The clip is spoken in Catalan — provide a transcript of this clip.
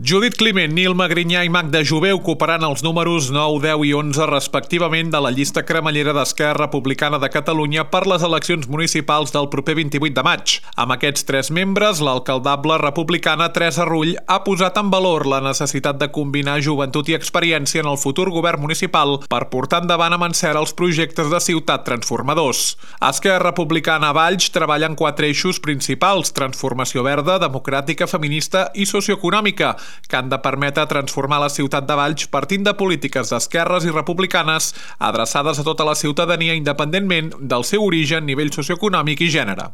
Judit Climent, Nil Magrinyà i Magda Jové ocuparan els números 9, 10 i 11 respectivament de la llista cremallera d'Esquerra Republicana de Catalunya per les eleccions municipals del proper 28 de maig. Amb aquests 3 membres, l'alcaldable republicana Teresa Rull ha posat en valor la necessitat de combinar joventut i experiència en el futur govern municipal per portar endavant amb encert els projectes de ciutat transformadors. Esquerra Republicana a Valls treballa en 4 eixos principals: transformació verda, democràtica, feminista i socioeconòmica, que han de permetre transformar la ciutat de Valls partint de polítiques d'esquerres i republicanes adreçades a tota la ciutadania independentment del seu origen, nivell socioeconòmic i gènere.